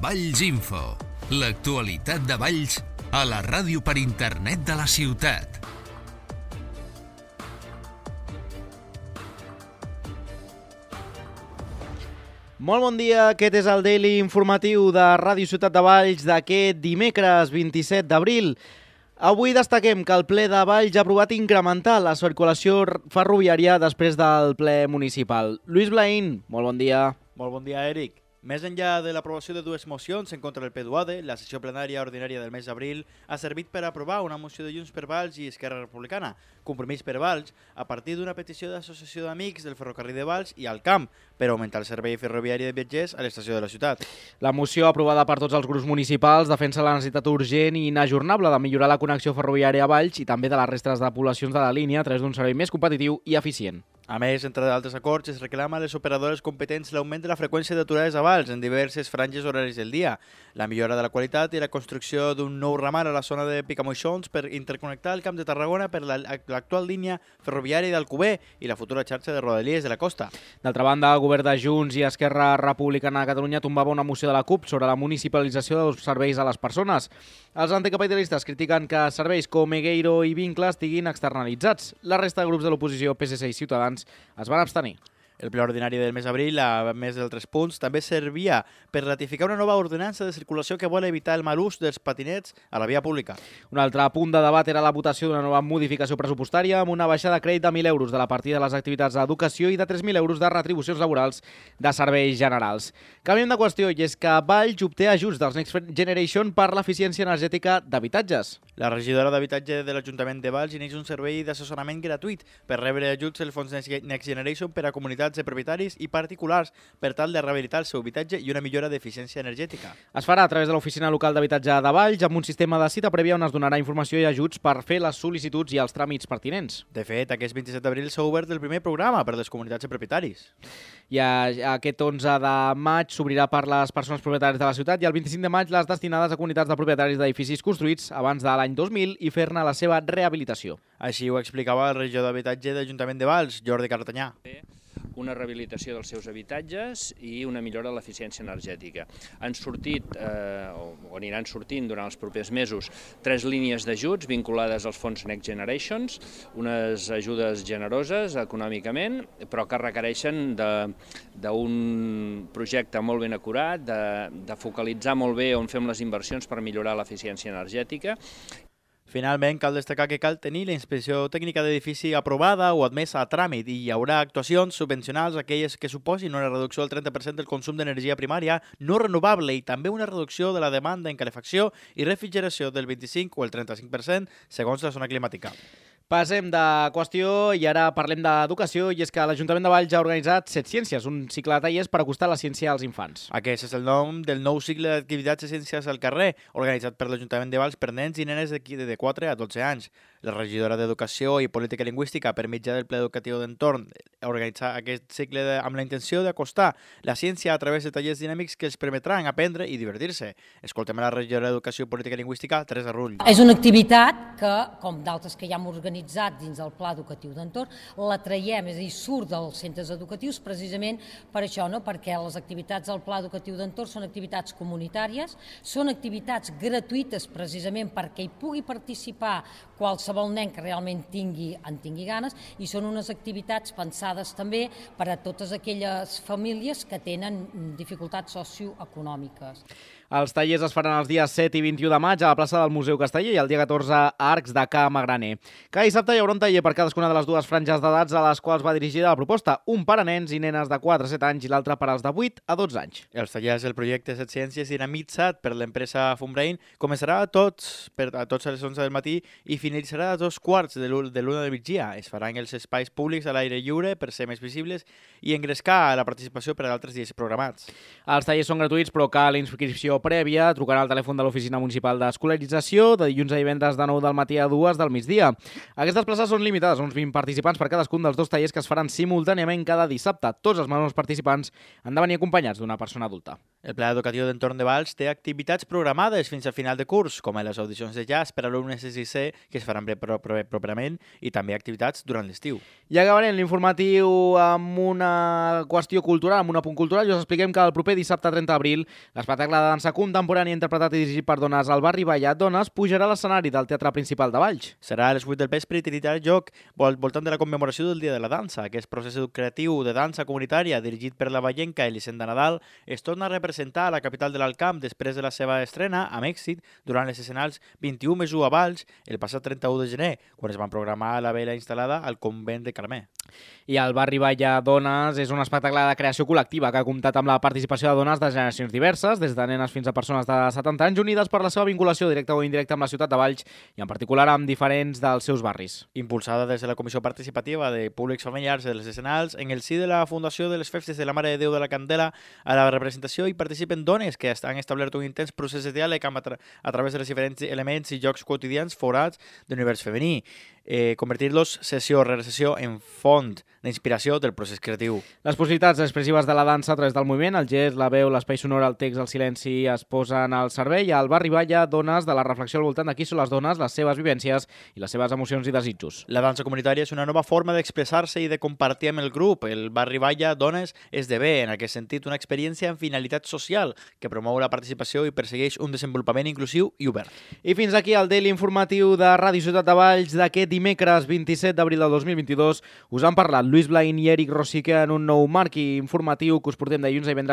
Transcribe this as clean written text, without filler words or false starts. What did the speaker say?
Valls Info, l'actualitat de Valls a la ràdio per internet de la ciutat. Molt bon dia, aquest és el Daily Informatiu de Ràdio Ciutat de Valls d'aquest dimecres 27 d'abril. Avui destaquem que el ple de Valls ha aprovat incrementar la circulació ferroviària després del ple municipal. Lluís Blaín, molt bon dia. Molt bon dia, Eric. Més enllà de l'aprovació de dues mocions en contra del PDUAD, la sessió plenària ordinària del mes d'abril ha servit per aprovar una moció de Junts per Valls i Esquerra Republicana, Compromís per Valls, a partir d'una petició d'associació d'amics del ferrocarril de Valls i al camp per augmentar el servei ferroviari de viatgers a l'estació de la ciutat. La moció aprovada per tots els grups municipals defensa la necessitat urgent i inajornable de millorar la connexió ferroviària a Valls i també de les restes de poblacions de la línia a través d'un servei més competitiu i eficient. A més, entre d'altres acords, es reclama a les operadores competents l'augment de la freqüència d'aturades a Valls en diverses franges horaris del dia, la millora de la qualitat i la construcció d'un nou ramal a la zona de Picamoixons per interconnectar el Camp de Tarragona per l'actual línia ferroviària d'Alcover i la futura xarxa de rodalies de la costa. D'altra banda, el govern de Junts i Esquerra Republicana de Catalunya tombava una moció de la CUP sobre la municipalització dels serveis a les persones. Els anticapitalistes critiquen que serveis com Egueiro i Vincle estiguin externalitzats. La resta de grups de l'oposició, PSC i Ciutadans, es van abstenir. El ple ordinari del mes d'abril, a més d'altres punts, també servia per ratificar una nova ordenança de circulació que vol evitar el mal ús dels patinets a la via pública. Un altre punt de debat era la votació d'una nova modificació pressupostària amb una baixada de crèdit de 1.000 euros de la partida de les activitats d'educació i de 3.000 euros de retribucions laborals de serveis generals. Canviem de qüestió i és que Valls obté ajuts dels Next Generation per l'eficiència energètica d'habitatges. La regidora d'Habitatge de l'Ajuntament de Valls inicia un servei d'assessorament gratuït per rebre ajuts del fons Next Generation per a comunitats de propietaris i particulars per tal de rehabilitar el seu habitatge i una millora d'eficiència energètica. Es farà a través de l'Oficina Local d'Habitatge de Valls amb un sistema de cita prèvia on es donarà informació i ajuts per fer les sol·licituds i els tràmits pertinents. De fet, aquest 27 d'abril s'ha obert el primer programa per a les comunitats de propietaris. I aquest 11 de maig s'obrirà per les persones propietàries de la ciutat i el 25 de maig les destinades a comunitats de propietaris d'edificis construïts abans de l'any 2000 i fer-ne la seva rehabilitació. Així ho explicava el regidor d'Habitatge de l'Ajuntament de Valls, Jordi Cartanyà. Una rehabilitació dels seus habitatges i una millora de l'eficiència energètica. Han sortit, o aniran sortint durant els propers mesos, 3 línies d'ajuts vinculades als fons Next Generations, unes ajudes generoses econòmicament, però que requereixen d'un projecte molt ben acurat, de focalitzar molt bé on fem les inversions per millorar l'eficiència energètica. Finalment, cal destacar que cal tenir la inspecció tècnica d'edifici aprovada o admesa a tràmit i hi haurà actuacions subvencionals aquelles que suposin una reducció del 30% del consum d'energia primària no renovable i també una reducció de la demanda en calefacció i refrigeració del 25 o el 35% segons la zona climàtica. Passem de qüestió i ara parlem d'educació i és que l'Ajuntament de Valls ha organitzat 7 Ciències, un cicle de tallers per acostar la ciència als infants. Aquest és el nom del nou cicle d'activitats de ciències al carrer, organitzat per l'Ajuntament de Valls per nens i nenes de 4 a 12 anys. La regidora d'Educació i Política Lingüística, per mitjà del Ple Educatiu d'Entorn, ha organitzat aquest cicle amb la intenció d'acostar la ciència a través de tallers dinàmics que els permetran aprendre i divertir-se. Escoltem a la regidora d'Educació i Política Lingüística, Teresa Rull. És una activitat que, com d'altres que ja hem organitzat dins del Pla Educatiu d'Entorn, la traiem, és a dir, surt dels centres educatius precisament per això, no? Perquè les activitats del Pla Educatiu d'Entorn són activitats comunitàries, són activitats gratuïtes precisament perquè hi pugui participar qualsevol nen que realment en tingui ganes i són unes activitats pensades també per a totes aquelles famílies que tenen dificultats socioeconòmiques. Els tallers es faran els dies 7 i 21 de maig a la plaça del Museu Casteller i el dia 14 a Arcs de Ca Magraner. Cada dissabte hi haurà un taller per cadascuna de les dues franges d'edats a les quals va dirigida la proposta, un per a nens i nenes de 4 a 7 anys i l'altre per als de 8 a 12 anys. Els tallers del projecte 7 Ciències dinamitzat per l'empresa Fumbrain començarà a tots a les 11 del matí i finalitzarà a 2:15 de l'1 del migdia. Es faran els espais públics a l'aire lliure per ser més visibles i engrescar la participació per a altres dies programats. Els tallers són gratuïts però cal inscripció prèvia, trucarà al telèfon de l'Oficina Municipal d'Escolarització de dilluns a divendres de 9 del matí a 2 del migdia. Aquestes places són limitades a uns 20 participants per cadascun dels 2 tallers que es faran simultàniament cada dissabte. Tots els menors participants han de venir acompanyats d'una persona adulta. El Pla Educatiu d'Entorn de Valls té activitats programades fins al final de curs, com les audicions de jazz per a alumnes de 6è que es faran properament i també activitats durant l'estiu. I acabarem l'informatiu amb una qüestió cultural, amb un apunt cultural, i us expliquem que el proper dissabte 30 d'abril l'espectacle de dansa contemporània interpretat i dirigit per dones al barri Ballat Dones pujarà a l'escenari del Teatre Principal de Valls. Serà a les 8 del vespre i tindrà lloc voltant de la commemoració del Dia de la Dansa. Aquest procés educatiu de dansa comunitària dirigit per la vallenca Elisenda Nadal es torna a representar a la capital de l'Alt Camp després de la seva estrena, amb èxit, durant les escenals 21+1 a Valls el passat 31 de gener, quan es van programar la vela instal·lada al convent de Carmé. I el barri Ballat Dones és un espectacle de creació col·lectiva que ha comptat amb la participació de dones de generacions diverses, des de nenes fins a persones de 70 anys, unides per la seva vinculació directa o indirecta amb la ciutat de Valls i en particular amb diferents dels seus barris. Impulsada des de la Comissió Participativa de Públics Familiars de les Escenals, en el si de la Fundació de les Festes de la Mare de Déu de la Candela, a la representació hi participen dones que han establert un intens procés de diàleg a través de els diferents elements i jocs quotidians forats de l'univers femení, convertir-los sessió rere sessió en font d'inspiració del procés creatiu. Les possibilitats expressives de la dansa a través del moviment, el gest, la veu, l'espai sonor, el text, el silenci es posen al servei. Al barri Ballat Dones de la reflexió al voltant de qui són les dones, les seves vivències i les seves emocions i desitjos. La dansa comunitària és una nova forma d'expressar-se i de compartir amb el grup. El barri Ballat Dones esdevé, en aquest sentit, una experiència amb finalitat social que promou la participació i persegueix un desenvolupament inclusiu i obert. I fins aquí el daily informatiu de Ràdio Ciutat de Valls d'aquest dimecres 27 d'abril del 2022. Us han parlat Lluís Blain i Eric Rosique en un nou marc informatiu que us portem dilluns a divendres